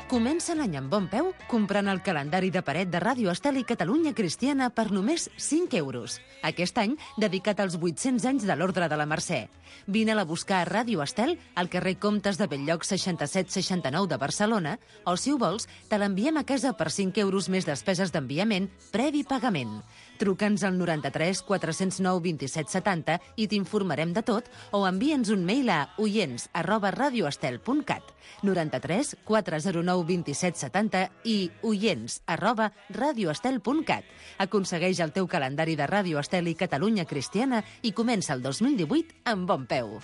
Comença l'any amb bon peu comprant el calendari de paret de Ràdio Estel i Catalunya Cristiana per només 5 euros. Aquest any dedicat als 800 anys de l'Ordre de la Mercè. Vine-la a buscar a Ràdio Estel, al carrer Comtes de Bell-lloc 6769 de Barcelona, o si ho vols, te l'enviem a casa per 5 euros més despeses d'enviament, previ pagament. Truca'ns al 93 409 27 70 i t'informarem de tot, o envia'ns un mail a oients@radioestel.cat, 93 409 27 70 i oients@radioestel.cat. Aconsegueix el teu calendari de Ràdio Estel i Catalunya Cristiana i comença el 2018 amb bon peu.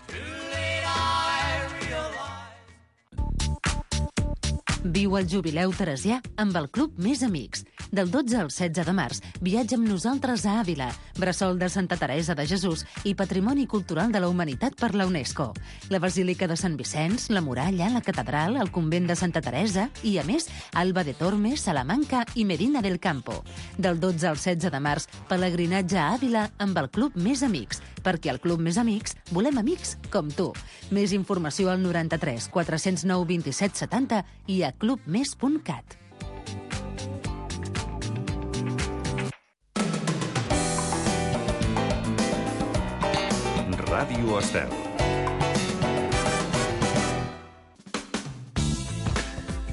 Viu el jubileu teresià amb el Club Més Amics. Del 12 al 16 de març, viatja amb nosaltres a Àvila, bressol de Santa Teresa de Jesús i Patrimoni Cultural de la Humanitat per la UNESCO. La Basílica de Sant Vicenç, la Muralla, la Catedral, el Convent de Santa Teresa i, a més, Alba de Tormes, Salamanca i Medina del Campo. Del 12 al 16 de març, pelegrinatge a Àvila amb el Club Més Amics, perquè al Club Més Amics volem amics com tu. Més informació al 93 409 27 70 i a clubmes.cat. Ràdio Estel.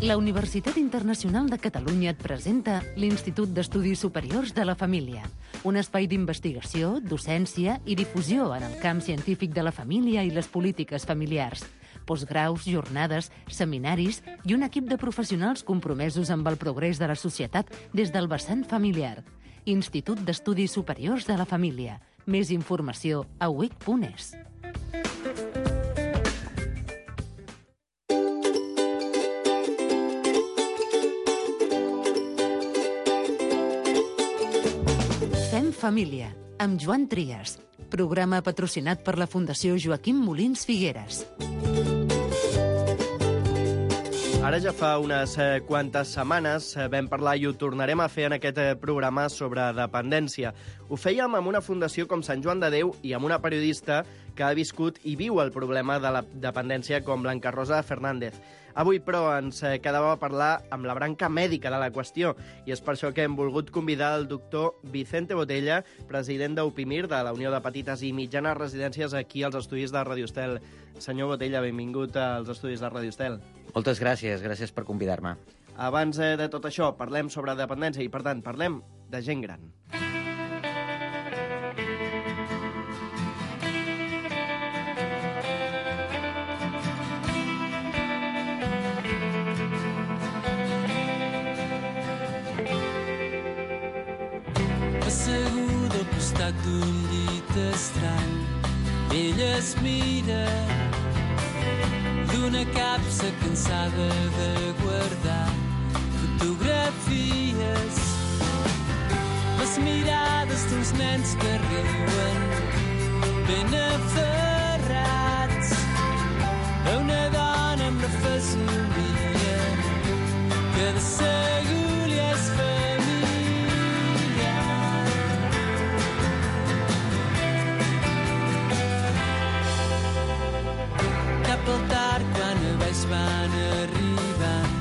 La Universitat Internacional de Catalunya et presenta l'Institut d'Estudis Superiors de la Família, un espai d'investigació, docència i difusió en el camp científic de la família i les polítiques familiars. Postgraus, jornades, seminaris i un equip de professionals compromesos amb el progrés de la societat des del vessant familiar. Institut d'Estudis Superiors de la Família. Més informació a uic.es. Fem família, amb Joan Trias. Programa patrocinat per la Fundació Joaquim Molins Figueres. Ara ja fa unes quantes setmanes vam parlar i ho tornarem a fer en aquest programa sobre dependència. Ho fèiem amb una fundació com Sant Joan de Déu i amb una periodista que ha viscut i viu el problema de la dependència com Blanca Rosa Fernández. Avui, però, ens quedava a parlar amb la branca mèdica de la qüestió i és per això que hem volgut convidar el doctor Vicente Botella, president d'Upimir, de la Unió de Petites i Mitjanes Residències, aquí als estudis de Ràdio Estel. Senyor Botella, benvingut als estudis de Ràdio Estel. Moltes gràcies, gràcies per convidar-me. Abans de tot això, parlem sobre dependència i, per tant, parlem de gent gran. Asseguda al costat d'un llit estrany, ella es mira d'una capsa cansada de guardar fotografies, les mirades d'uns nens que riuen ben aferrats a una dona amb la fesomia que de segur li és pel tard quan a baix van arribant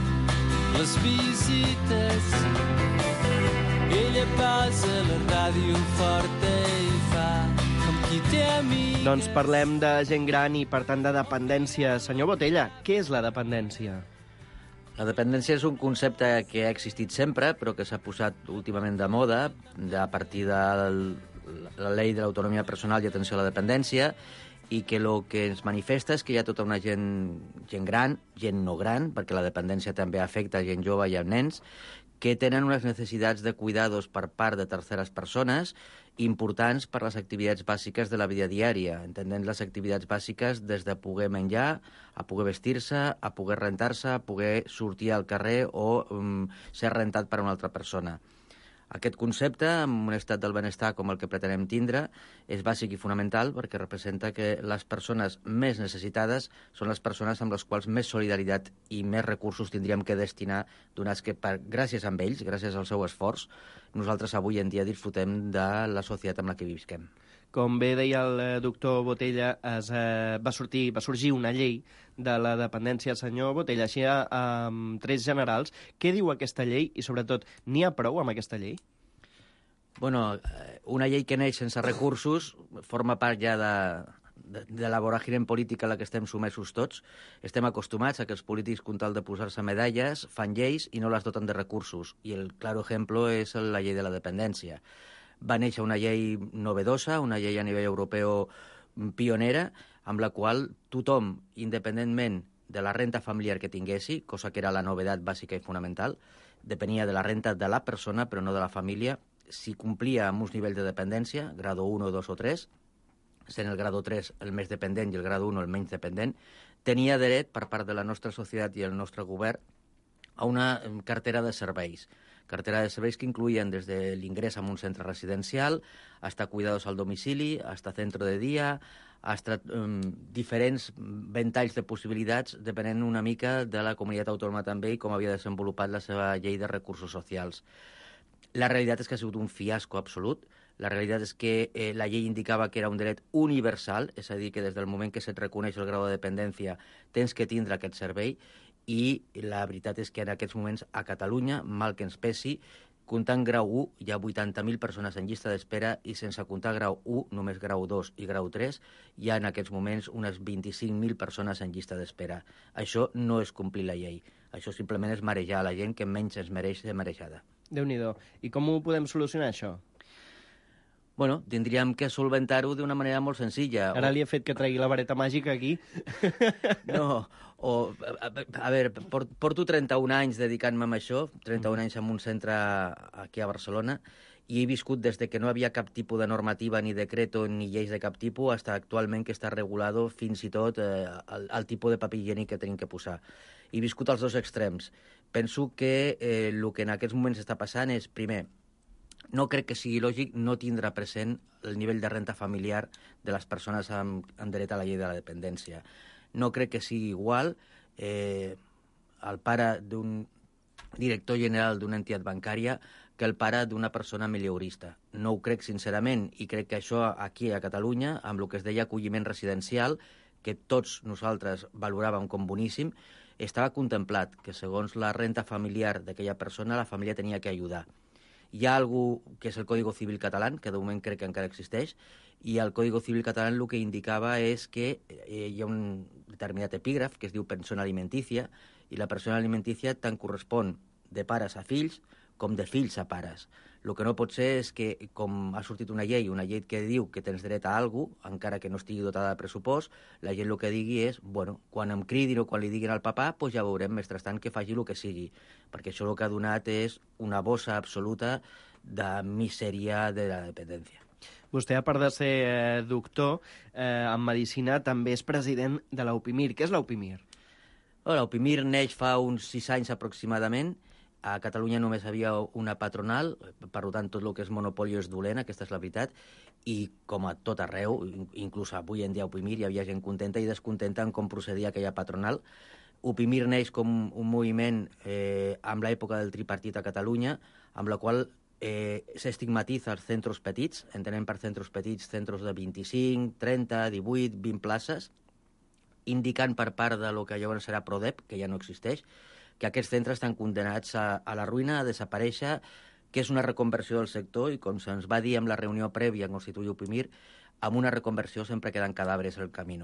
les visites. Ella posa la ràdio forta i fa com qui té amics. Doncs parlem de gent gran i, per tant, de dependència. Senyor Botella, què és la dependència? La dependència és un concepte que ha existit sempre, però que s'ha posat últimament de moda a partir de la llei de l'autonomia personal i atenció a la dependència, i que el que ens manifesta és que hi ha tota una gent gran, gent no gran, perquè la dependència també afecta gent jove i nens, que tenen unes necessitats de cuidados per part de terceres persones importants per les activitats bàsiques de la vida diària, entenent les activitats bàsiques des de poder menjar, a poder vestir-se, a poder rentar-se, a poder sortir al carrer o ser rentat per una altra persona. Aquest concepte, en un estat del benestar com el que pretenem tindre, és bàsic i fonamental perquè representa que les persones més necessitades són les persones amb les quals més solidaritat i més recursos tindríem que destinar, donats que gràcies a ells, gràcies al seu esforç, nosaltres avui en dia disfrutem de la societat amb la que visquem. Com bé deia el doctor Botella, va sorgir una llei de la dependència. Senyor Botella, així amb trets generals, què diu aquesta llei i, sobretot, n'hi ha prou amb aquesta llei? Bueno, una llei que neix sense recursos forma part ja de la voràgine política a la que estem sumesos tots. Estem acostumats a que els polítics, con tal de posar-se medalles, fan lleis i no les doten de recursos. I el claro ejemplo és la llei de la dependència. Va néixer una llei novedosa, una llei a nivell europeu pionera, amb la qual tothom, independentment de la renta familiar que tinguessi, cosa que era la novetat bàsica i fonamental, depenia de la renta de la persona, però no de la família, si complia amb uns nivells de dependència, grado 1, 2 o 3, sent el grado 3 el més dependent i el grado 1 el menys dependent, tenia dret per part de la nostra societat i el nostre govern a una cartera de serveis. Cartera de serveis que incluïen des de l'ingrés en un centre residencial, hasta cuidados al domicili, hasta centro de dia, hasta diferents ventalls de possibilitats, depenent una mica de la comunitat autònoma també i com havia desenvolupat la seva llei de recursos socials. La realitat és que ha sigut un fiasco absolut. La realitat és que la llei indicava que era un dret universal, és a dir, que des del moment que se't reconeix el grau de dependència tens que tindre aquest servei, i la veritat és que en aquests moments a Catalunya, mal que ens pesi, comptant grau 1 hi ha 80.000 persones en llista d'espera i sense comptar grau 1, només grau 2 i grau 3, hi ha en aquests moments unes 25.000 persones en llista d'espera. Això no és complir la llei. Això simplement és marejar la gent que menys es mereix de marejada. Déu-n'hi-do. I com ho podem solucionar, això? Bueno, tindríem que solventar-ho d'una manera molt senzilla. Ara li he fet que tregui la vareta màgica aquí. No, a veure, porto 31 anys dedicant-me a això, 31 anys en un centre aquí a Barcelona, i he viscut des de que no havia cap tipus de normativa, ni decreto, ni lleis de cap tipus, fins actualment que està regulado fins i tot el tipus de paper higiènic que tenim que posar. He viscut als dos extrems. Penso que el que en aquests moments està passant és, primer, no crec que sigui lògic no tindre present el nivell de renta familiar de les persones amb dret a la llei de la dependència. No crec que sigui igual el pare d'un director general d'una entitat bancària que el pare d'una persona milieurista. No ho crec sincerament, i crec que això aquí a Catalunya, amb el que es deia acolliment residencial, que tots nosaltres valoràvem com boníssim, estava contemplat que segons la renta familiar d'aquella persona la família tenia que ajudar. Hi ha algú que és el Código Civil català, que de moment crec que encara existeix, i el Código Civil català el que indicava és que hi ha un determinat epígraf que es diu pensió alimentícia, i la pensió alimentícia tant correspon de pares a fills com de fills a pares. El que no pot ser és que, com ha sortit una llei que diu que tens dret a alguna cosa, encara que no estigui dotada de pressupost, la gent el que digui és, bueno, quan em cridin o quan li diguin al papà, doncs ja veurem, mentrestant, que faci el que sigui. Perquè això el que ha donat és una bossa absoluta de misèria de la dependència. Vostè, a part de ser doctor en medicina, també és president de l'UPIMIR. Què és l'UPIMIR? L'UPIMIR neix fa uns 6 anys aproximadament. A Catalunya només havia una patronal, per tant, tot el que és monopoli és dolent, aquesta és la veritat, i com a tot arreu, inclús avui en dia a UPIMIR, hi havia gent contenta i descontenta en com procedia aquella patronal. UPIMIR neix com un moviment amb l'època del tripartit a Catalunya, amb la qual s'estigmatitza els centres petits, entenem per centres petits centres de 25, 30, 18, 20 places, indicant per part de lo que llavors serà PRODEP, que ja no existeix, que aquests centres estan condenats a la ruïna, a desaparèixer, que és una reconversió del sector, i com se'ns va dir en la reunió prèvia a constituir UPIMIR, amb una reconversió sempre queden cadàveres al camí.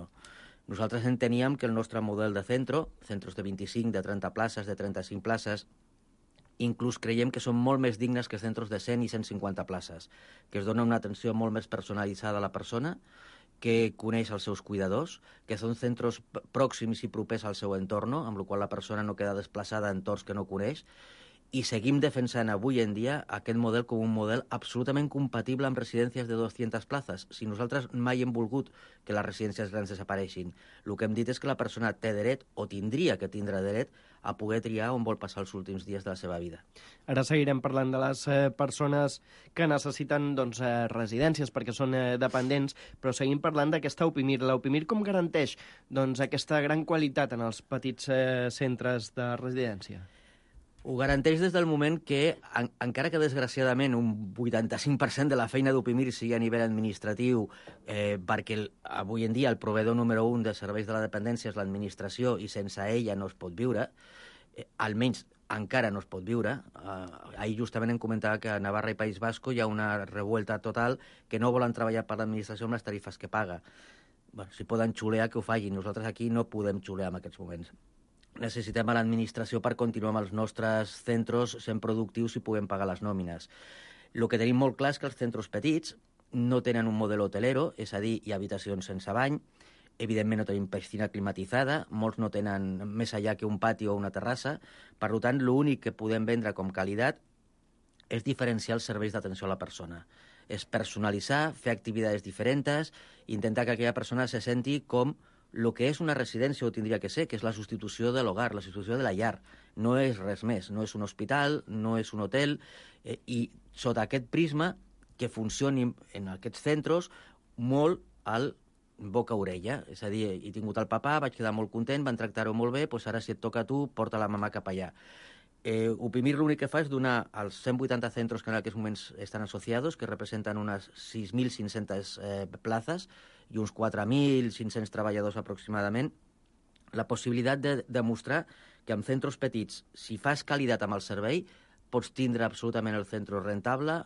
Nosaltres enteníem que el nostre model de centres de 25, de 30 places, de 35 places, inclús creiem que són molt més dignes que centres de 100 i 150 places, que es dona una atenció molt més personalitzada a la persona, que coneix els seus cuidadors, que són centres pròxims i propers al seu entorn, amb la qual la persona no queda desplaçada en entorns que no coneix, i seguim defensant avui en dia aquest model com un model absolutament compatible amb residències de 200 places. Si nosaltres mai hem volgut que les residències grans desapareixin, el que hem dit és que la persona té dret, o tindria que tindre dret, a poder triar on vol passar els últims dies de la seva vida. Ara seguirem parlant de les persones que necessiten residències perquè són dependents, però seguim parlant d'aquesta UPIMIR. L'UPIMIR com garanteix aquesta gran qualitat en els petits centres de residència? Ho garanteix des del moment que, encara que desgraciadament un 85% de la feina d'Upimir sigui a nivell administratiu, perquè avui en dia el proveïdor número 1 de serveis de la dependència és l'administració i sense ella no es pot viure, almenys encara no es pot viure. Ahir justament em comentava que a Navarra i País Basco hi ha una revuelta total que no volen treballar per l'administració amb les tarifes que paga. Bueno, si poden xulear, que ho facin. Nosaltres aquí no podem xulear en aquests moments. Necessitem a l'administració per continuar amb els nostres centres sent productius i puguem pagar les nòmines. El que tenim molt clar és que els centres petits no tenen un model hotelero, és a dir, hi ha habitacions sense bany, evidentment no tenim piscina climatitzada, molts no tenen més allà que un pati o una terrassa, per tant, l'únic que podem vendre com qualitat és diferenciar els serveis d'atenció a la persona. És personalitzar, fer activitats diferents, intentar que aquella persona se senti com el que és una residència ho tindria que ser, que és la substitució de l'hogar, la substitució de la llar. No és res més, no és un hospital, no és un hotel, i sota aquest prisma que funcioni en aquests centres molt al boca-orella. És a dir, he tingut el papà, vaig quedar molt content, van tractar-ho molt bé, doncs ara si et toca a tu, porta la mamà cap allà. Upimir l'únic que fa és donar als 180 centres que en aquests moments estan associats, que representen unes 6.500 plazas i uns 4.500 treballadors aproximadament, la possibilitat de demostrar que en centres petits, si fas qualitat amb el servei, pots tindre absolutament el centre rentable,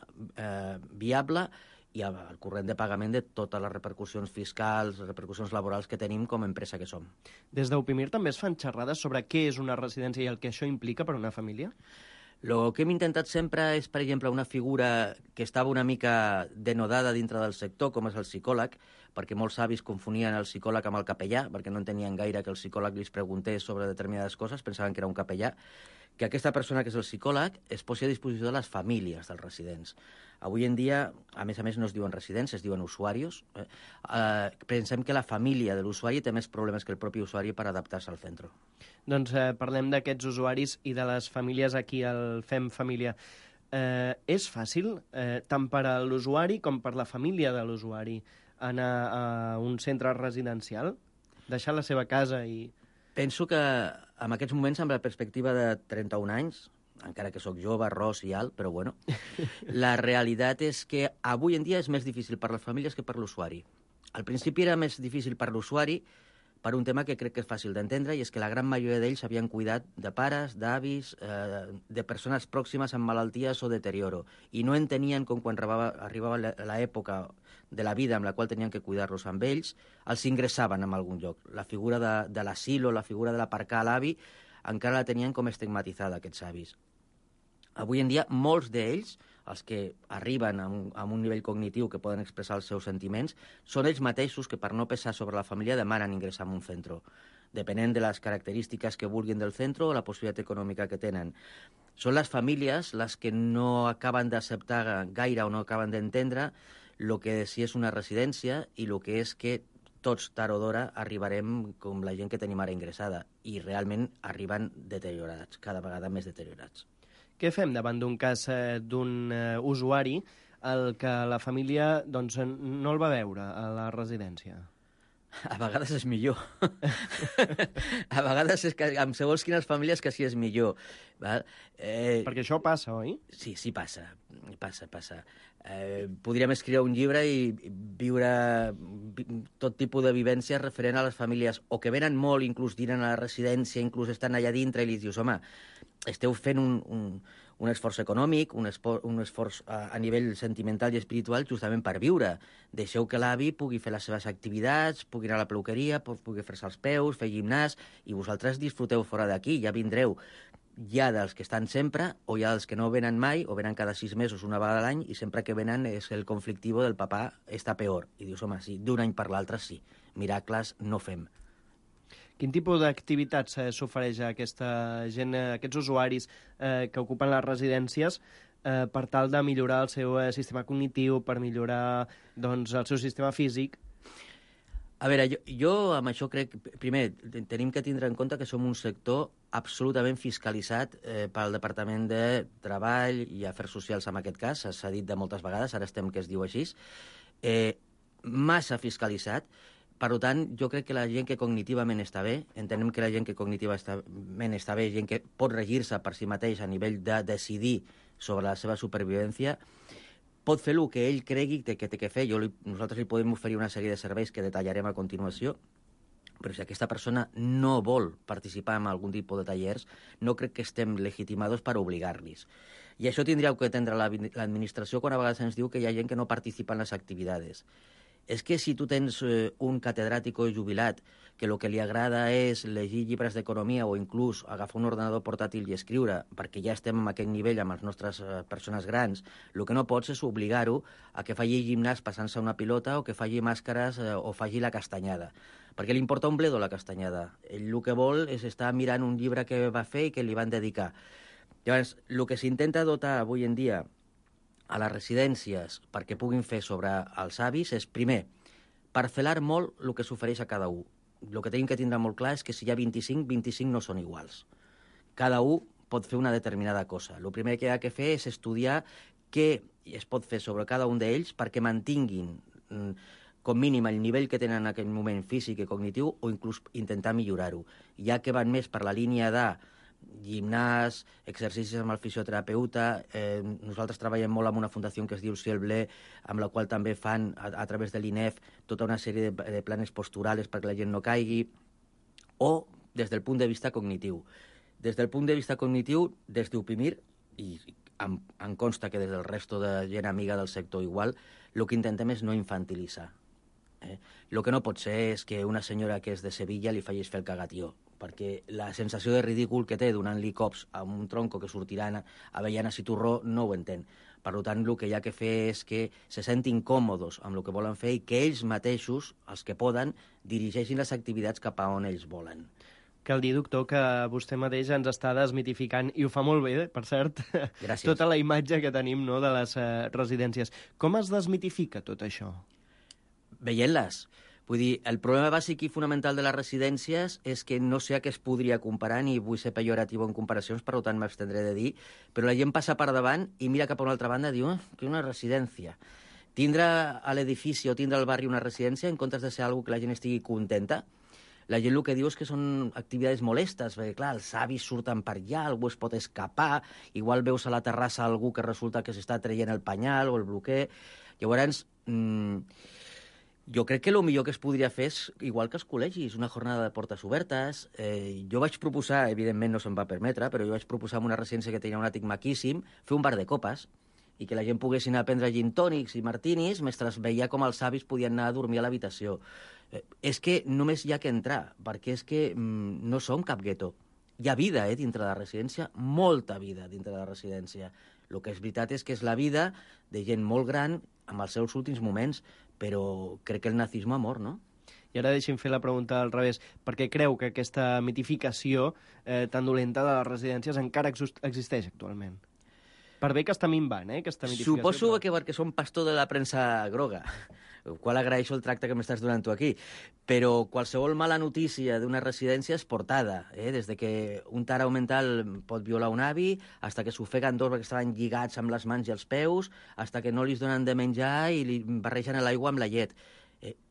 viable, i el corrent de pagament de totes les repercussions fiscals, les repercussions laborals que tenim com a empresa que som. Des d'Upimir també es fan xerrades sobre què és una residència i el que això implica per a una família? El que hem intentat sempre és, per exemple, una figura que estava una mica denodada dintre del sector, com és el psicòleg, perquè molts avis confonien el psicòleg amb el capellà, perquè no entenien gaire que el psicòleg li preguntés sobre determinades coses, pensaven que era un capellà, que aquesta persona que és el psicòleg es posi a disposició de les famílies dels residents. Avui en dia, a més, no es diuen residents, es diuen usuaris. Pensem que la família de l'usuari té més problemes que el propi usuari per adaptar-se al centre. Doncs parlem d'aquests usuaris i de les famílies aquí al Fem Família. És fàcil, tant per a l'usuari com per la família de l'usuari, anar a un centre residencial, deixar la seva casa i... Penso que en aquests moments, amb la perspectiva de 31 anys, encara que sóc jove, ros i alt, però bueno, la realitat és que avui en dia és més difícil per les famílies que per l'usuari. Al principi era més difícil per l'usuari per un tema que crec que és fàcil d'entendre, i és que la gran majoria d'ells havien cuidat de pares, d'avis, de persones pròximes amb malalties o deterioro, i no entenien com quan arribava l'època de la vida amb la qual tenien que cuidar-los amb ells, els ingressaven en algun lloc. La figura de l'asilo, la figura de l'aparcar a l'avi, encara la tenien com estigmatitzada, aquests avis. Avui en dia, molts d'ells, els que arriben a un nivell cognitiu que poden expressar els seus sentiments, són ells mateixos que, per no pesar sobre la família, demanen ingressar en un centre, depenent de les característiques que vulguin del centre o la possibilitat econòmica que tenen. Són les famílies les que no acaben d'acceptar gaire o no acaben d'entendre el que sí és una residència i el que és que tots, tard o d'hora, arribarem com la gent que tenim ara ingressada, i realment arriben deteriorats, cada vegada més deteriorats. Què fem davant d'un cas d'un usuari el que la família doncs, no el va veure a la residència? A vegades és millor. A vegades és que amb segons quines famílies que sí és millor. Val? Perquè això passa, oi? Sí, passa. Podríem escriure un llibre i viure tot tipus de vivències referent a les famílies, o que venen molt, inclús dinen a la residència, inclús estan allà dintre, i li dius, home, esteu fent un esforç econòmic, un esforç a nivell sentimental i espiritual justament per viure. Deixeu que l'avi pugui fer les seves activitats, pugui anar a la peluqueria, pugui fer-se els peus, fer gimnàs, i vosaltres disfruteu fora d'aquí, ja vindreu. Hi ha dels que estan sempre, o hi ha dels que no venen mai, o venen cada 6 mesos, una vegada a l'any, i sempre que venen és el conflictiu del papà està peor. I dius, home, sí, d'un any per l'altre sí. Miracles no fem. Quin tipus d'activitats s'ofereix a aquesta gent, a aquests usuaris que ocupen les residències per tal de millorar el seu sistema cognitiu, per millorar doncs, el seu sistema físic? A veure, jo amb això crec... Primer, tenim que tindre en compte que som un sector absolutament fiscalitzat pel Departament de Treball i Afers Socials, en aquest cas. S'ha dit de moltes vegades, ara estem que es diu així. Massa fiscalitzat, Per tant, jo crec que la gent que cognitivament està bé, entenem que la gent que cognitivament està bé, gent que pot regir-se per si mateix a nivell de decidir sobre la seva supervivència, pot fer el que ell cregui que té que fer. Nosaltres li podem oferir una sèrie de serveis que detallarem a continuació, però si aquesta persona no vol participar en algun tipus de tallers, no crec que estem legitimats per obligar-los. I això tindria que atendre l'administració quan a vegades ens diu que hi ha gent que no participa en les activitats. És que si tu tens un catedràtic jubilat que el que li agrada és llegir llibres d'economia o inclús agafar un ordenador portàtil i escriure, perquè ja estem en aquest nivell amb les nostres persones grans, el que no pots és obligar-ho a que faci gimnàs passant-se una pilota o que faci màscares o faci la castanyada. Perquè li importa un bledo la castanyada. Ell el que vol és estar mirant un llibre que va fer i que li van dedicar. Llavors, el que s'intenta dotar avui en dia a les residències perquè puguin fer sobre els avis és, primer, parcel·lar molt el que s'ofereix a cada un. El que tenim que tindre molt clar és que si hi ha 25, 25 no són iguals. Cada un pot fer una determinada cosa. El primer que ha de fer és estudiar què es pot fer sobre cada un d'ells perquè mantinguin com mínim el nivell que tenen en aquell moment físic i cognitiu o inclús intentar millorar-ho. Ja que van més per la línia de gimnàs, exercicis amb el fisioterapeuta. Nosaltres treballem molt amb una fundació que es diu Ciel Blé, amb la qual també fan, a través de l'INEF, tota una sèrie de planes posturals perquè la gent no caigui, o des del punt de vista cognitiu. Des del punt de vista cognitiu, des d'Upimir, i em consta que des del resto de gent amiga del sector igual, el que intentem és no infantilitzar. El que no pot ser és que una senyora que és de Sevilla li facis fer el cagatió, perquè la sensació de ridícul que té donant-li cops a un tronco que sortiran avellanes i torró no ho entén. Per tant, el que hi ha que fer és que se sentin còmodes amb el que volen fer i que ells mateixos, els que poden, dirigeixin les activitats cap a on ells volen. Cal dir, doctor, que vostè mateix ens està desmitificant, i ho fa molt bé, per cert, Gràcies. tota la imatge que tenim, no, de les residències. Com es desmitifica tot això? Veient-les. Vull dir, el problema bàsic i fonamental de les residències és que no sé a què es podria comparar, ni vull ser pejoratiu en comparacions, per tant m'abstendré de dir, però la gent passa per davant i mira cap a una altra banda i diu que una residència. Tindre a l'edifici o tindre al barri una residència en comptes de ser algo que la gent estigui contenta, la gent el que diu és que són activitats molestes, perquè clar, els avis surten per allà, algú es pot escapar, igual veus a la terrassa algú que resulta que s'està traient el penyal o el bloquer. Llavors, jo crec que el millor que es podria fer és, igual que els col·legis, una jornada de portes obertes. Jo vaig proposar, evidentment no se'm va permetre, però jo vaig proposar en una residència que tenia un àtic maquíssim, fer un bar de copes i que la gent poguessin anar a prendre gin tònics i martinis mentre veia com els avis podien anar a dormir a l'habitació. És que només hi ha que entrar, perquè és que no som cap gueto. Hi ha vida dintre de la residència, molta vida dintre de la residència. El que és veritat és que és la vida de gent molt gran amb els seus últims moments, però crec que el nazisme ha mort, no? I ara deixi'm fer la pregunta al revés. Per què creu que aquesta mitificació tan dolenta de les residències encara existeix actualment? Per bé que està minvant, aquesta mitificació. Suposo que perquè som pastor de la premsa groga, el qual agraeixo el tracte que m'estàs donant tu aquí, però qualsevol mala notícia d'una residència és portada, des de que un tarau mental pot violar un avi, fins que s'ofeguen dos perquè estaven lligats amb les mans i els peus, fins que no li donen de menjar i li barregen l'aigua amb la llet.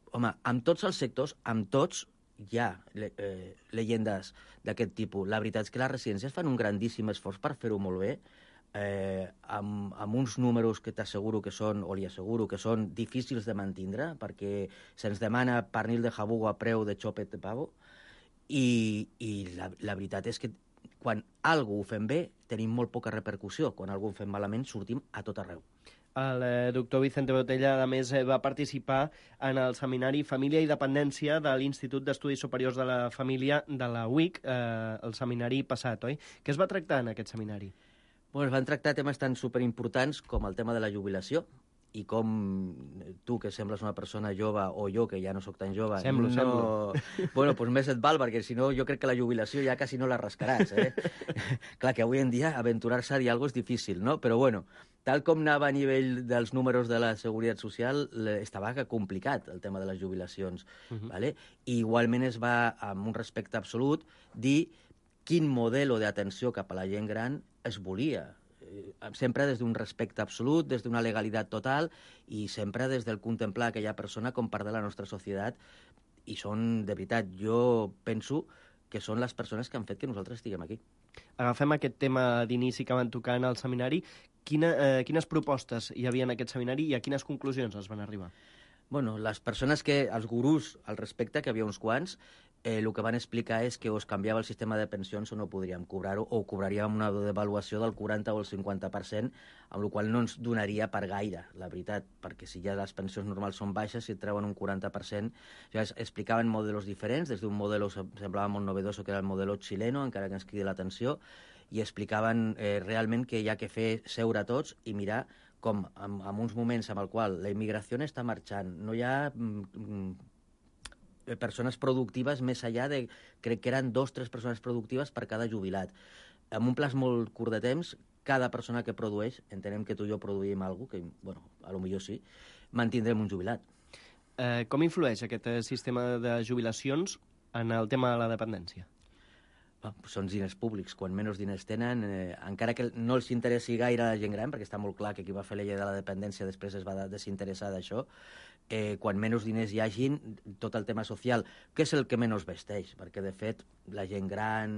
Home, amb tots els sectors, amb tots, hi ha llegendes d'aquest tipus. La veritat és que les residències fan un grandíssim esforç per fer-ho molt bé, amb uns números que t'asseguro que són, o li asseguro que són difícils de mantindre, perquè se'ns demana pernil de jabugo a preu de xopet de pavo, i la veritat és que quan algú ho fem bé tenim molt poca repercussió, quan algú ho fem malament sortim a tot arreu. El doctor Vicente Botella, a més, va participar en el seminari Família i Dependència de l'Institut d'Estudis Superiors de la Família de la UIC, el seminari passat, oi? Què es va tractar en aquest seminari? Es van tractar temes tan superimportants com el tema de la jubilació i com tu, que sembles una persona jove, o jo, que ja no sóc tan jove... Semblo. Bueno, doncs més et val, perquè si no jo crec que la jubilació ja quasi no la rascaràs, Clar, que avui en dia aventurar-se a dir alguna cosa és difícil, no? Però bueno, tal com anava a nivell dels números de la Seguretat Social, estava complicat el tema de les jubilacions, ¿vale? I igualment es va, amb un respecte absolut, dir quin model d'atenció cap a la gent gran es volia, sempre des d'un respecte absolut, des d'una legalitat total i sempre des del contemplar aquella persona com part de la nostra societat I són, de veritat, jo penso que són les persones que han fet que nosaltres estiguem aquí. Agafem aquest tema d'inici que van tocar en el seminari. Quines propostes hi havia en aquest seminari i a quines conclusions es van arribar? Bueno, les persones els gurús al respecte, que havia uns quants, el que van explicar és que o es canviava el sistema de pensions o no podríem cobrar-ho, o cobraríem una devaluació del 40 o el 50%, amb la qual no ens donaria per gaire, la veritat, perquè si ja les pensions normals són baixes, si et treuen un 40%, ja explicaven modelos diferents, des d'un model semblava molt novedoso, que era el model xileno, encara que ens cridi l'atenció, i explicaven realment que hi ha que fer seure tots i mirar com en uns moments en el qual la immigració està marxant, no hi ha persones productives més enllà de, crec que eren 2 o 3 persones productives per cada jubilat. En un plaç molt curt de temps, cada persona que produeix, entenem que tu i jo produïm alguna cosa, que, bueno, a lo millor sí, mantindrem un jubilat. Com influeix aquest sistema de jubilacions en el tema de la dependència? Són diners públics. Quan menys diners tenen, encara que no els interessi gaire a la gent gran, perquè està molt clar que qui va fer la llei de la dependència després es va desinteressar d'això, quan menys diners hi hagin, tot el tema social, que és el que menys vesteix, perquè de fet la gent gran,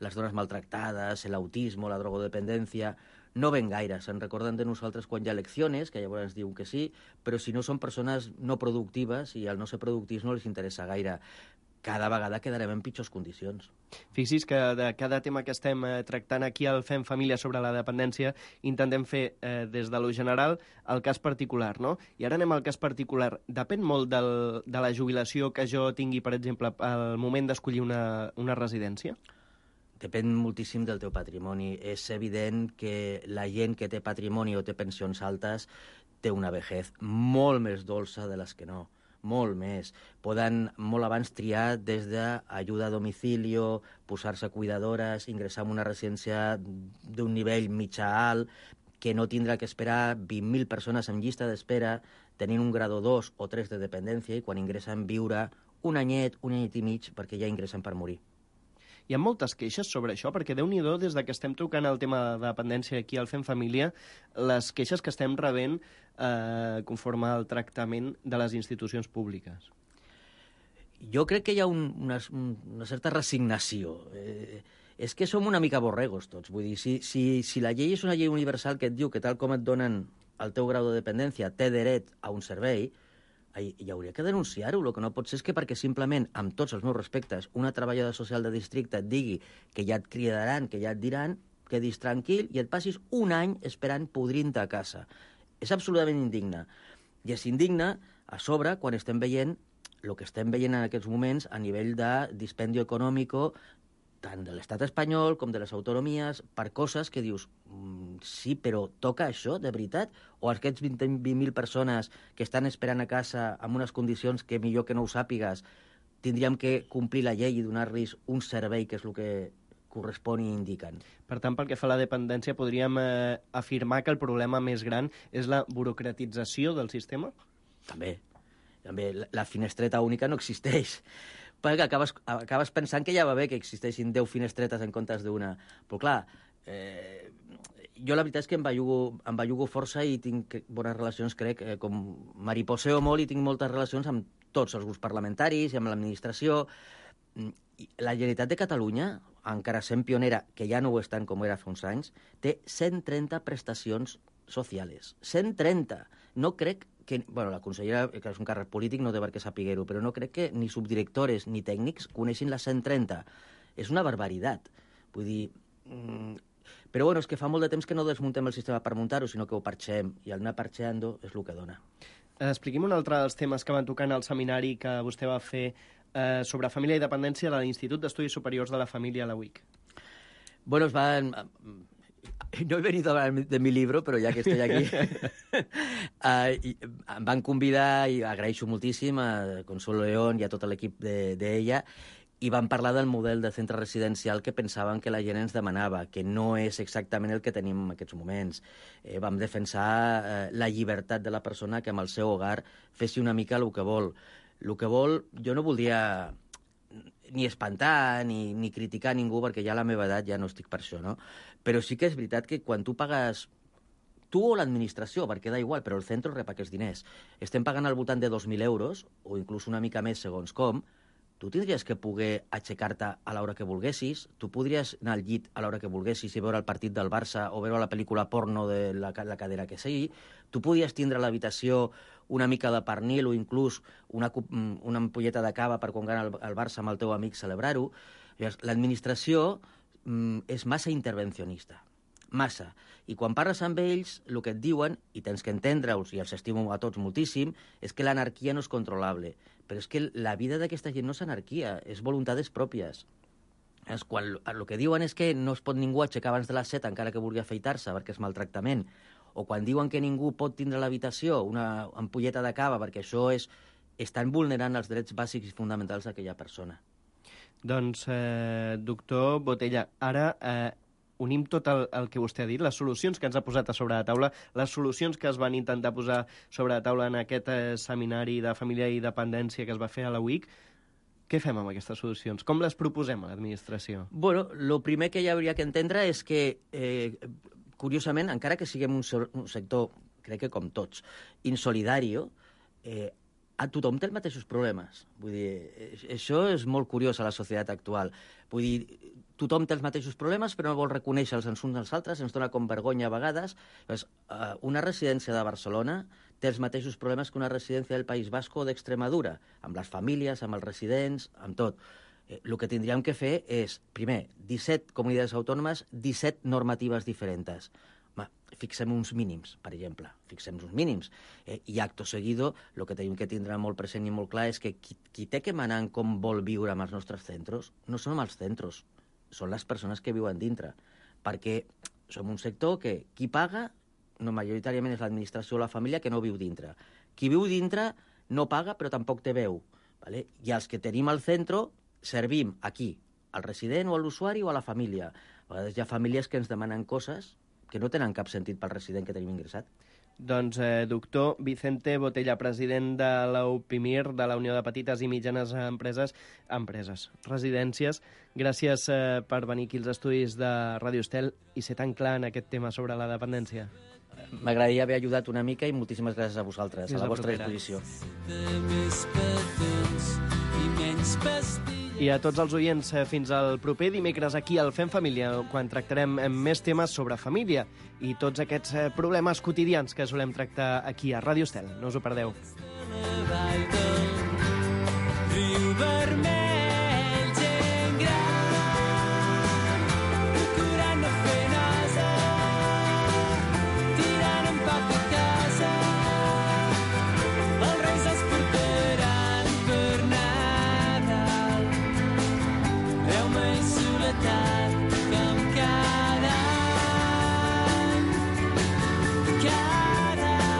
les dones maltractades, l'autisme, la drogodependència, no ven gaire. Se'n recorden de nosaltres quan hi ha eleccions, que llavors ens diuen que sí, però si no són persones no productives i el no ser productius no els interessa gaire. Cada vegada quedarem en pitjors condicions. Fixi's que de cada tema que estem tractant aquí al Fem Família sobre la dependència intentem fer des de lo general el cas particular, no? I ara anem al cas particular. Depèn molt de la jubilació que jo tingui, per exemple, al moment d'escollir una residència? Depèn moltíssim del teu patrimoni. És evident que la gent que té patrimoni o té pensions altes té una vejez molt més dolça de les que no. Molt més. Poden molt abans triar des d'ajuda a domicilio, posar-se cuidadores, ingressar en una residència d'un nivell mitjà-alt, que no tindrà que esperar 20.000 persones en llista d'espera, tenint un grado 2 o 3 de dependència, i quan ingressen viure un anyet i mig, perquè ja ingressen per morir. Hi ha moltes queixes sobre això, perquè Déu-n'hi-do, des que estem tocant el tema de dependència aquí al Fem Família, les queixes que estem rebent conforme al tractament de les institucions públiques. Jo crec que hi ha una certa resignació. És que som una mica borregos tots. Vull dir, si la llei és una llei universal que et diu que tal com et donen el teu grau de dependència té dret a un servei, hi hauria que denunciar-ho. El que no pot ser és que perquè simplement, amb tots els meus respectes, una treballadora social de districte et digui que ja et cridaran, que ja et diran, quedis tranquil i et passis un any esperant podrint-te a casa. És absolutament indigne. I és indigne a sobre quan estem veient el que estem veient en aquests moments a nivell de dispendio econòmico tant de l'estat espanyol com de les autonomies, per coses que dius, sí, però toca això, de veritat? O aquests 20.000 persones que estan esperant a casa amb unes condicions que millor que no ho sàpigues, tindríem que complir la llei i donar-los un servei que és el que correspon i indiquen. Per tant, pel que fa a la dependència, podríem afirmar que el problema més gran és la burocratització del sistema? També. La finestreta única no existeix. Perquè acabes pensant que ja va bé que existeixin 10 finestretes en comptes d'una. Però clar, jo la veritat és que em bellugo força i tinc bones relacions, crec, com mariposeo molt i tinc moltes relacions amb tots els grups parlamentaris i amb l'administració. La Generalitat de Catalunya, encara sent pionera, que ja no ho és tant com era fa uns anys, té 130 prestacions socials. 130! No crec que... Bueno, la consellera, que és un càrrec polític, no té per què sapiguer-ho, però no crec que ni subdirectores ni tècnics coneixin les 130. És una barbaritat. Vull dir... Però bueno, és que fa molt de temps que no desmuntem el sistema per muntar-ho, sinó que ho parxem, i el anar parxeando és el que dona. Expliqui'm un altre dels temes que van tocar en el seminari que vostè va fer sobre família i dependència a l'Institut d'Estudis Superiors de la Família, a la UIC. Bueno, no he venido a hablar de mi libro, però ja que estoy aquí, em van convidar, i agraeixo moltíssim a Consuelo León i a tot l'equip d'ella, i van parlar del model de centre residencial que pensaven que la gent ens demanava, que no és exactament el que tenim en aquests moments. Vam defensar la llibertat de la persona que amb el seu hogar fessi una mica el que vol. El que vol, jo no voldria ni espantar ni criticar ningú, perquè ja a la meva edat ja no estic per això, no? Però sí que és veritat que quan tu pagues, tu o l'administració, perquè da igual, però el centre rep aquests diners, estem pagant al voltant de 2.000 euros, o inclús una mica més segons com, tu tindries que poder aixecar-te a l'hora que volguessis, tu podries anar al llit a l'hora que volguessis i veure el partit del Barça o veure la pel·lícula porno de la cadera que sigui, tu podies tindre a l'habitació una mica de pernil o inclús una ampolleta de cava per quan gana el Barça amb el teu amic celebrar-ho. L'administració és massa intervencionista, massa. I quan parles amb ells, el que et diuen, i tens que entendre-us, i els estimo a tots moltíssim, és que l'anarquia no és controlable. Però és que la vida d'aquesta gent no és anarquia, és voluntats pròpies. El que diuen és que no es pot ningú aixecar abans de les 7 encara que vulgui afeitar-se perquè és maltractament. O quan diuen que ningú pot tindre a l'habitació una ampolleta de cava perquè això estan vulnerant els drets bàsics i fonamentals d'aquella persona. Doncs, doctor Botella, ara unim tot el que vostè ha dit, les solucions que ens ha posat a sobre la taula, les solucions que es van intentar posar sobre la taula en aquest seminari de família i dependència que es va fer a la UIC. Què fem amb aquestes solucions? Com les proposem a l'administració? Bueno, el primer que hi hauria que entendre és que, curiosament, encara que siguem un sector, crec que com tots, insolidari, a tothom té els mateixos problemes. Vull dir, això és molt curiós a la societat actual. Vull dir, tothom té els mateixos problemes, però no vol reconèixer-los uns als altres, ens dona com vergonya a vegades. Una residència de Barcelona té els mateixos problemes que una residència del País Basc o d'Extremadura, amb les famílies, amb els residents, amb tot. El que tindríem que fer és, primer, 17 comunitats autònomes, 17 normatives diferents. Fixem uns mínims, per exemple. Fixem uns mínims. I acto seguido, el que tenim que tindre molt present i molt clar és que qui té que manar en com vol viure amb els nostres centres no són els centres, són les persones que viuen dintre. Perquè som un sector que qui paga no majoritàriament és l'administració o la família que no viu dintre. Qui viu dintre no paga però tampoc té veu. ¿Vale? I els que tenim al centre servim aquí, al resident o a l'usuari o a la família. A vegades hi ha famílies que ens demanen coses que no tenen cap sentit pel resident que tenim ingressat. Doncs, doctor Vicente Botella, president de la UPIMIR, de la Unió de Petites i Mitjanes Residències, gràcies per venir aquí als estudis de Ràdio Estel i ser tan clar en aquest tema sobre la dependència. M'agradaria haver ajudat una mica i moltíssimes gràcies a vosaltres, a la vostra disposició. I a tots els oients, fins al proper dimecres aquí al Fem Família, quan tractarem més temes sobre família i tots aquests problemes quotidians que solem tractar aquí a Ràdio Estel. No us ho perdeu. Riu vermell, gent gran, procurant no fer nosa, tirant empac a casa, els reis els portaran per Nadal. Veu-me i soledat com cada any, cada any.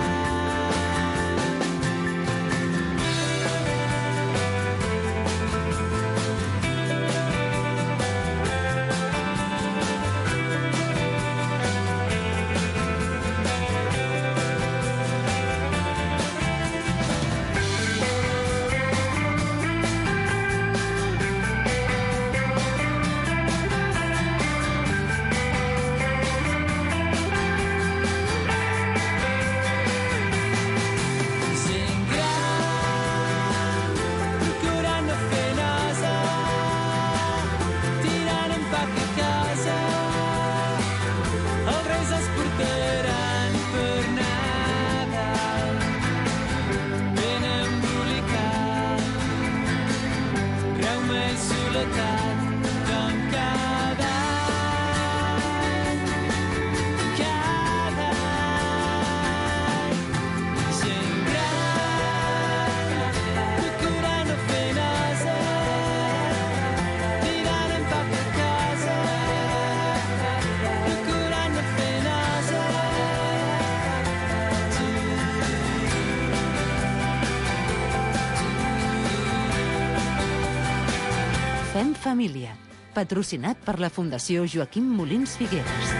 Fem Família, patrocinat per la Fundació Joaquim Molins Figueres.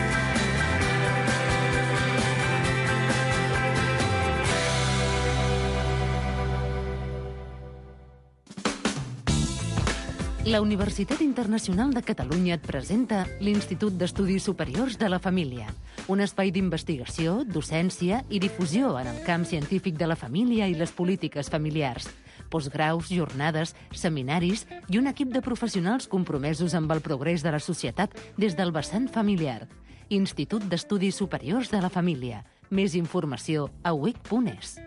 La Universitat Internacional de Catalunya et presenta l'Institut d'Estudis Superiors de la Família, un espai d'investigació, docència i difusió en el camp científic de la família i les polítiques familiars. postgraus, jornades, seminaris i un equip de professionals compromesos amb el progrés de la societat des del vessant familiar. Institut d'Estudis Superiors de la Família. Més informació a uic.es.